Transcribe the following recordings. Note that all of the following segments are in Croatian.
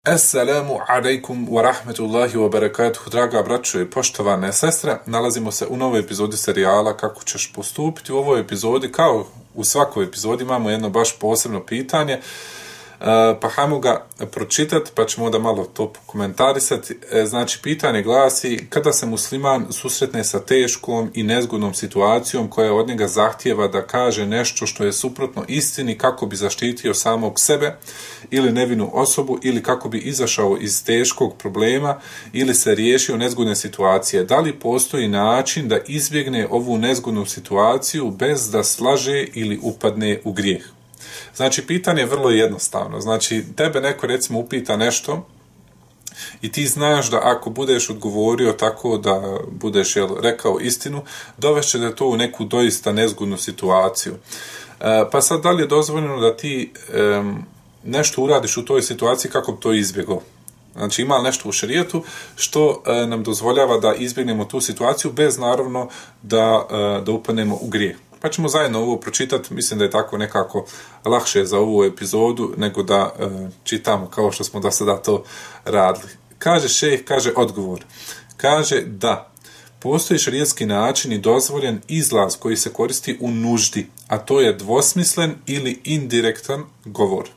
Assalamu alaikum wa rahmetullahi wa barakatuhu, draga braćo i poštovane sestre. Nalazimo se u novoj epizodi serijala Kako ćeš postupiti. U ovoj epizodi, kao u svakoj epizodi, imamo jedno baš posebno pitanje, pa hajmo ga pročitati, pa ćemo onda malo to komentarisati. Znači, pitanje glasi: kada se musliman susretne sa teškom i nezgodnom situacijom koja od njega zahtijeva da kaže nešto što je suprotno istini kako bi zaštitio samog sebe ili nevinu osobu, ili kako bi izašao iz teškog problema ili se riješio nezgodne situacije, da li postoji način da izbjegne ovu nezgodnu situaciju bez da slaže ili upadne u grijeh? Znači, pitanje je vrlo jednostavno. Znači, tebe neko recimo upita nešto i ti znaš da ako budeš odgovorio tako da budeš rekao istinu, dovešće da to u neku doista nezgodnu situaciju. Pa sad, da li je dozvoljeno da ti nešto uradiš u toj situaciji kako bi to izbjegao? Znači, ima nešto u šerijetu što nam dozvoljava da izbjegnemo tu situaciju bez naravno da upadnemo u grijeh. Pa ćemo zajedno ovo pročitati, mislim da je tako nekako lakše za ovu epizodu nego da čitamo kao što smo do sada to radili. Kaže šejh, kaže odgovor. Kaže da postoji šerijetski način i dozvoljen izlaz koji se koristi u nuždi, a to je dvosmislen ili indirektan govor.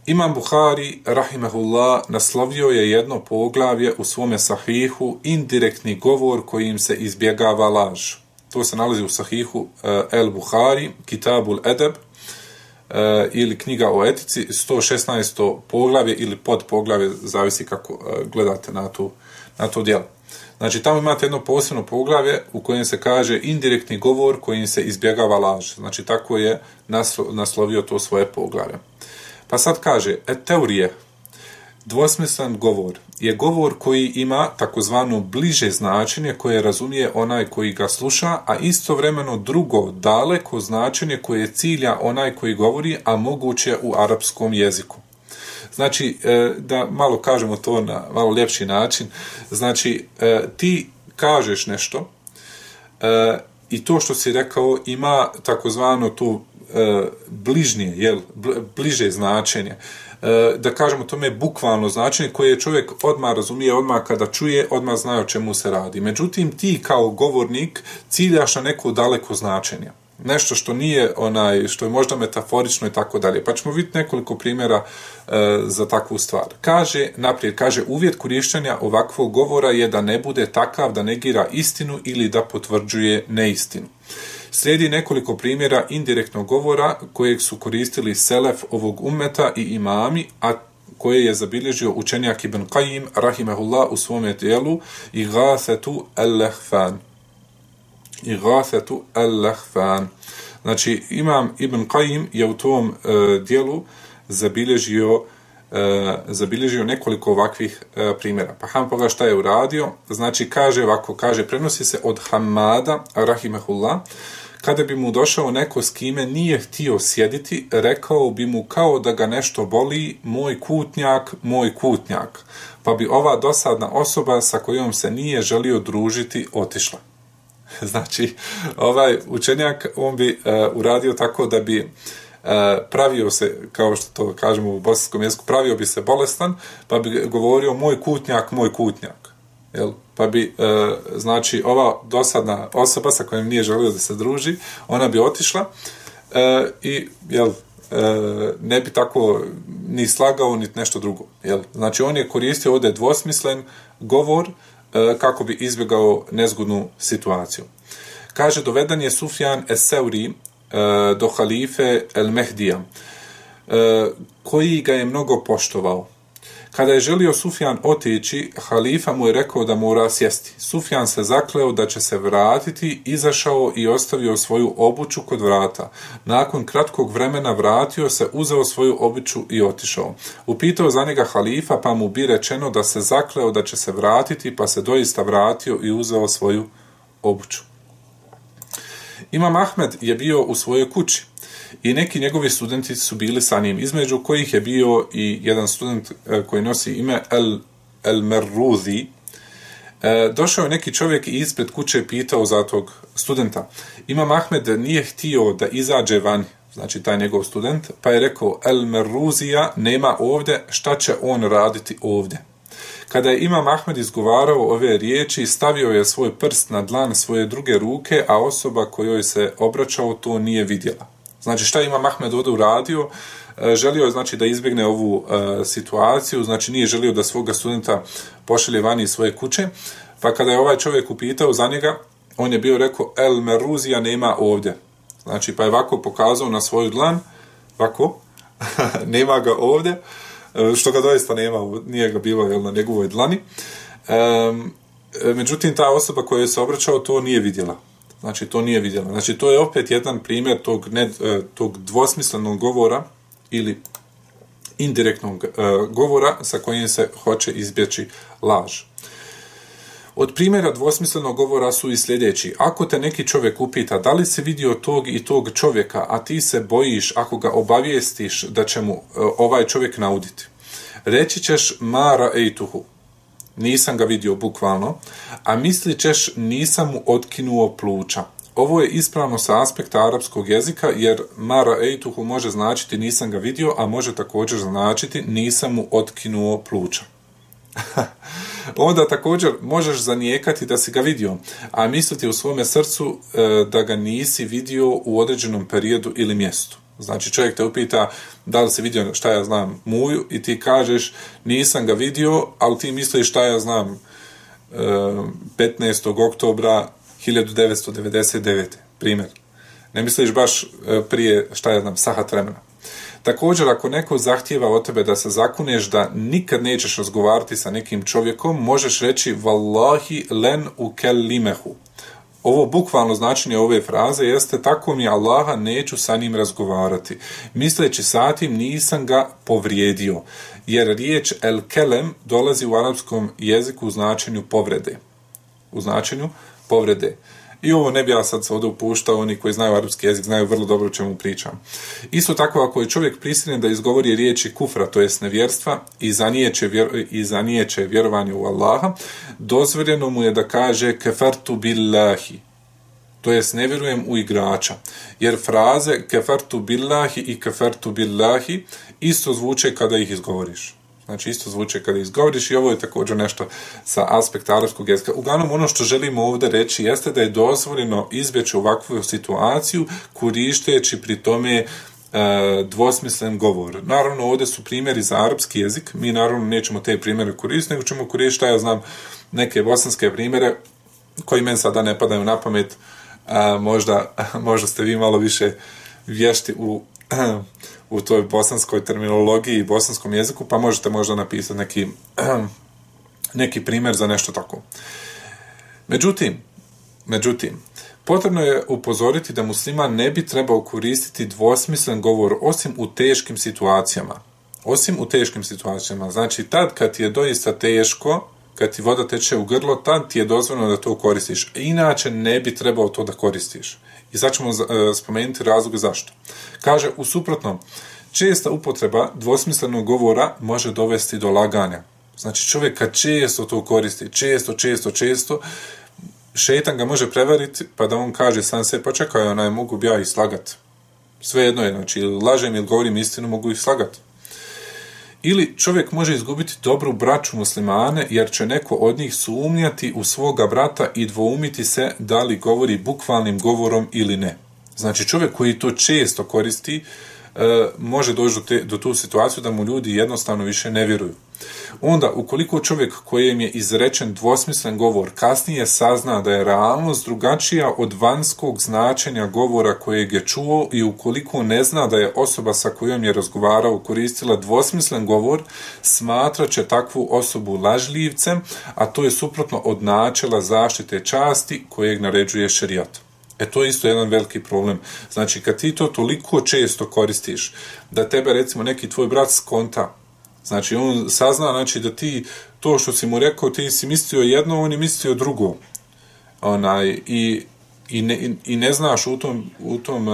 Imam Buhari, rahimehullah, naslovio je jedno poglavlje u svome sahihu indirektni govor kojim se izbjegava laž. To se nalazi u sahihu El Buhari, Kitabul Edeb, ili knjiga o etici, 116. poglavlje ili podpoglavlje, zavisi kako gledate na to djelo. Znači, tamo imate jedno posebno poglavlje u kojem se kaže indirektni govor kojim se izbjegava laž. Znači, tako je naslovio to svoje poglavlje. Pa sad kaže, teorije, dvosmislen govor je govor koji ima takozvano bliže značenje koje razumije onaj koji ga sluša, a istovremeno drugo, daleko značenje koje cilja onaj koji govori, a moguće u arapskom jeziku. Znači, da malo kažemo to na malo ljepši način, znači, ti kažeš nešto i to što si rekao ima takozvano tu bližnje, bliže značenje. Da kažemo tome bukvalno značenje koje čovjek odmah razumije, odmah kada čuje, odmah zna o čemu se radi. Međutim, ti kao govornik ciljaš na neko daleko značenje. Nešto što nije što je možda metaforično i tako dalje. Pa ćemo vidjeti nekoliko primjera za takvu stvar. Kaže, uvjet korištenja ovakvog govora je da ne bude takav da negira istinu ili da potvrđuje neistinu. Slijedi nekoliko primjera indirektnog govora kojeg su koristili selef ovog ummeta i imami, a koje je zabilježio učenjak Ibn Qayyim, rahimehullah, u svome dijelu Ighathatu al-Lahfan. Znači, imam Ibn Qayyim je u tom dijelu zabilježio nekoliko ovakvih primjera. Pa ham pogleda šta je uradio. Znači, kaže, prenosi se od Hamada, rahimehullah, kada bi mu došao neko s kime nije htio sjediti, rekao bi mu kao da ga nešto boli, moj kutnjak, pa bi ova dosadna osoba sa kojom se nije želio družiti otišla. Znači, ovaj učenjak, on bi uradio tako da bi pravio se, kao što to kažemo u bosanskom jeziku, pravio bi se bolestan, pa bi govorio moj kutnjak. Jel? Pa bi, znači, ova dosadna osoba sa kojom nije želio da se druži, ona bi otišla i, ne bi tako ni slagao, ni nešto drugo. Jel? Znači, on je koristio ovdje dvosmislen govor kako bi izbjegao nezgodnu situaciju. Kaže, doveden je Sufjan es-Seuri do halife el-Mehdija, koji ga je mnogo poštovao. Kada je želio Sufjan otići, halifa mu je rekao da mora sjesti. Sufjan se zakleo da će se vratiti, izašao i ostavio svoju obuću kod vrata. Nakon kratkog vremena vratio se, uzeo svoju obuću i otišao. Upitao za njega halifa, pa mu bi rečeno da se zakleo da će se vratiti, pa se doista vratio i uzeo svoju obuću. Imam Ahmed je bio u svojoj kući i neki njegovi studenti su bili sa njim, između kojih je bio i jedan student koji nosi ime El-Merruzi. Došao je neki čovjek i ispred kuće pitao za tog studenta. Imam Ahmed nije htio da izađe van, znači taj njegov student, pa je rekao El Meruzija nema ovdje, šta će on raditi ovdje? Kada je Imam Ahmed izgovarao ove riječi, stavio je svoj prst na dlan svoje druge ruke, a osoba kojoj se obraćao to nije vidjela. Znači šta je Imam Ahmed ovdje uradio? Želio je znači da izbjegne ovu situaciju, znači nije želio da svoga studenta pošalje vani iz svoje kuće, pa kada je ovaj čovjek upitao za njega, on je bio rekao El Meruzija nema ovdje. Znači pa je ovako pokazao na svoju dlan, ovako, nema ga ovdje, što ga doista nema, nije ga bilo na njegovoj dlani. Međutim, ta osoba koja je se obraćao to nije vidjela. Znači, to nije vidjela. Znači, to je opet jedan primjer tog dvosmislenog govora ili indirektnog govora sa kojim se hoće izbjeći laž. Od primjera dvosmislenog govora su i sljedeći. Ako te neki čovjek upita da li si vidio tog i tog čovjeka, a ti se bojiš ako ga obavijestiš da će mu ovaj čovjek nauditi, reći ćeš ma ra'ejtuhu, nisam ga vidio bukvalno, a mislit ćeš nisam mu otkinuo pluća. Ovo je ispravno sa aspekta arapskog jezika, jer ma ra'ejtuhu može značiti nisam ga vidio, a može također značiti nisam mu otkinuo pluća. Onda također možeš zanijekati da si ga vidio, a misliti u svome srcu da ga nisi vidio u određenom periodu ili mjestu. Znači čovjek te upita da li si vidio šta ja znam Muju i ti kažeš nisam ga vidio, ali ti misliš šta ja znam 15. oktobra 1999. primjer. Ne misliš baš prije šta ja znam sahat vremena. Također, ako neko zahtijeva od tebe da se zakuneš da nikad nećeš razgovarati sa nekim čovjekom, možeš reći Wallahi len ukellimehu. Ovo bukvalno značenje ove fraze jeste tako mi Allaha neću sa njim razgovarati. Misleći sa tim nisam ga povrijedio, jer riječ el kelem dolazi u arapskom jeziku u značenju povrede. U značenju povrede. I ovo ne bi ja sad se ovdje upuštao, oni koji znaju arapski jezik znaju vrlo dobro o čemu pričam. Isto tako, ako je čovjek prisiljen da izgovori riječi kufra, to jest nevjerstva, i zanijeće vjerovanje u Allaha, dozvoljeno mu je da kaže kefartu billahi, to jest ne vjerujem u igrača, jer fraze kefartu billahi i kefartu billahi isto zvuče kada ih izgovoriš. Znači isto zvuče kada izgovoriš i ovo je također nešto sa aspekta arapskog jezika. Uglavnom ono što želimo ovdje reći jeste da je dozvoljeno izbjeći ovakvu situaciju koristeći pri tome dvosmislen govor. Naravno ovdje su primjeri za arapski jezik, mi naravno nećemo te primjere koristiti, nego ćemo koristiti šta ja znam neke bosanske primjere koji meni sada ne padaju na pamet, možda ste vi malo više vješti u toj bosanskoj terminologiji i bosanskom jeziku, pa možete možda napisati neki primjer za nešto tako. Međutim, potrebno je upozoriti da musliman ne bi trebao koristiti dvosmislen govor osim u teškim situacijama. Znači, tad kad ti je doista teško, kad ti voda teče u grlo, tad ti je dozvoljeno da to koristiš. Inače ne bi trebao to da koristiš. I sad ćemo spomenuti razloge zašto. Kaže, u suprotnom, česta upotreba dvosmislenog govora može dovesti do laganja. Znači, čovjek kad često to koristi, često, šejtan ga može prevariti, pa da on kaže sam se, pa čekaj, mogu bi ja ih slagat. Svejedno je, znači, lažem ili govorim istinu, mogu ih slagat. Ili čovjek može izgubiti dobru braću muslimane, jer će neko od njih sumnjati u svoga brata i dvoumiti se da li govori bukvalnim govorom ili ne. Znači čovjek koji to često koristi, može doći do tu situaciju da mu ljudi jednostavno više ne vjeruju. Onda, ukoliko čovjek kojem je izrečen dvosmislen govor kasnije sazna da je realnost drugačija od vanjskog značenja govora kojeg je čuo i ukoliko ne zna da je osoba sa kojom je razgovarao koristila dvosmislen govor, smatrat će takvu osobu lažljivcem, a to je suprotno od načela zaštite časti kojeg naređuje šerijat. To je isto jedan veliki problem. Znači, kad ti to toliko često koristiš, da tebe, recimo, neki tvoj brat skonta, znači, on sazna, znači, da ti to što si mu rekao, ti si mislio jedno, on je mislio drugo. I ne znaš u tom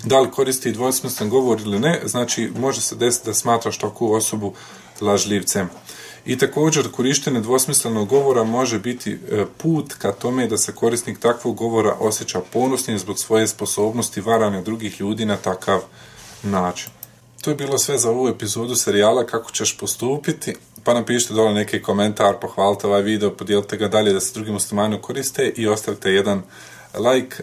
da li koristi dvosmislen govor ili ne, znači, može se desiti da smatraš takvu osobu lažljivcem. I također korištenje dvosmislenog govora može biti put ka tome da se korisnik takvog govora osjeća ponosnim zbog svoje sposobnosti varanja drugih ljudi na takav način. To je bilo sve za ovu epizodu serijala Kako ćeš postupiti, pa napišite dole neki komentar, pohvalite ovaj video, podijelite ga dalje da se drugi muslimani koriste i ostavite jedan like.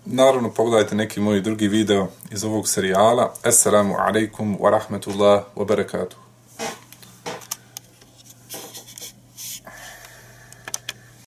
Naravno, pogledajte neki moji drugi video iz ovog serijala. Assalamu alaikum wa rahmatullahi wa barakatuh.